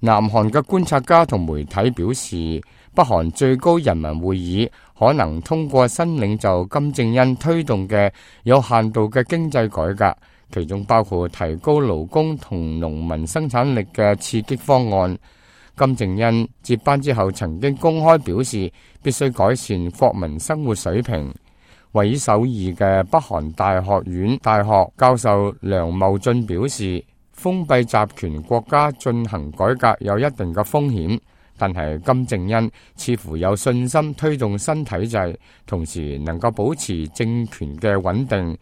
南韓嘅觀察家同媒體表示，北韓最高人民會議可能通過新領袖金正恩推動嘅有限度嘅經濟改革，其中包括提高勞工同農民生產力嘅刺激方案。金正恩接班之後曾經公開表示，必須改善國民生活水平。位於首爾嘅北韓大學院大學教授梁茂俊表示，封閉集權國家進行改革有一定嘅風險，但係金正恩似乎有信心推動新體制，同時能夠保持政權嘅穩定。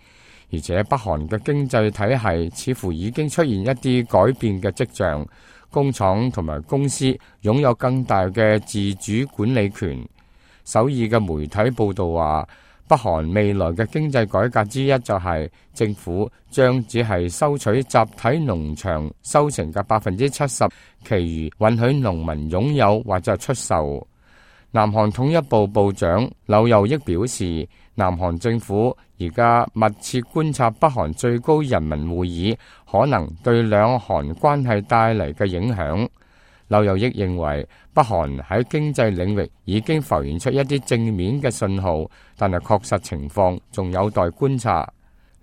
而且北韓嘅經濟體系似乎已經出現一啲改變嘅跡象，工廠同埋公司擁有更大嘅自主管理權。首爾嘅媒體報道話，北韓未來嘅經濟改革之一就係政府將只係收取集體農場收成嘅70%，其餘允許農民擁有或者出售。南韓統一部部長柳佑益表示，南韓政府而家密切觀察北韓最高人民會議可能對兩韓關係帶嚟嘅影響。柳佑益認為，北韓喺經濟領域已經浮現出一啲正面嘅信號，但係確實情況仲有待觀察。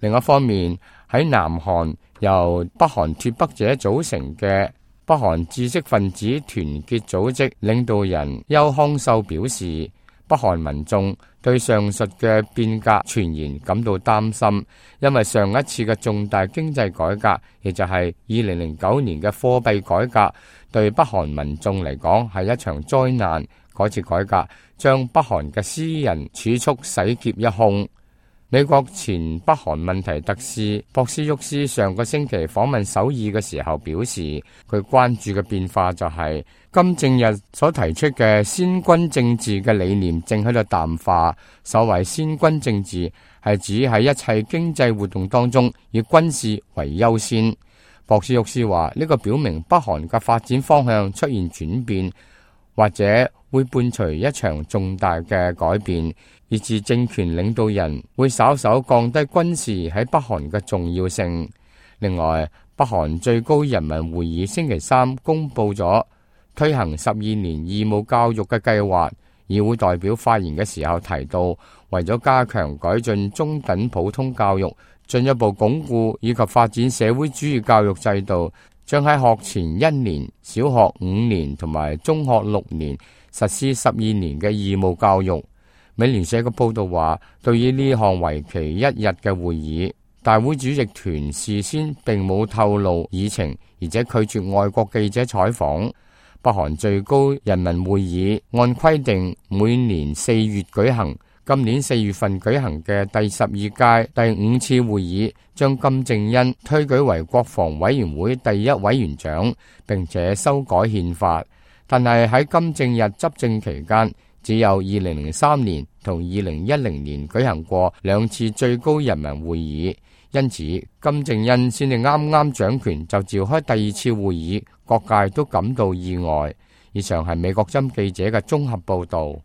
另一方面，喺南韓由北韓脫北者組成嘅北韓知識分子團結組織領導人邱康秀表示，北韓民眾對上述嘅變革傳言感到擔心，因為上一次嘅重大經濟改革，亦就係2009年嘅貨幣改革，對北韓民眾嚟講係一場災難。嗰次改革將北韓嘅私人儲蓄洗劫一空。美國前北韓問題特使博斯沃斯上個星期訪問首爾嘅時候表示，佢關注嘅變化就係金正日所提出嘅先軍政治嘅理念正喺度淡化。所謂先軍政治係指喺一切經濟活動當中以軍事為優先。博斯沃斯話，呢個表明北韓嘅發展方向出現轉變，或者會伴隨一場重大嘅改變，以致政權領導人會稍稍降低軍事喺北韓嘅重要性。另外，北韓最高人民會議星期三公布咗推行12年義務教育嘅計劃。議會代表發言嘅時候提到，為咗加強改進中等普通教育，進一步鞏固以及發展社會主義教育制度，將喺學前1年、小學5年同埋中學6年實施12年嘅義務教育。美聯社嘅報道話，對於呢項為期1日嘅會議，大會主席團事先並冇透露議程，而且拒絕外國記者採訪。北韓最高人民會議按規定每年4月舉行，今年4月份舉行嘅第12屆第5次會議，將金正恩推舉為國防委員會第1委員長，並且修改憲法。但係喺金正日執政期間，只有2003年同2010年舉行過2次最高人民會議，因此金正恩先至啱啱掌權就召開第2次會議，各界都感到意外。以上係美國針記者嘅綜合報道。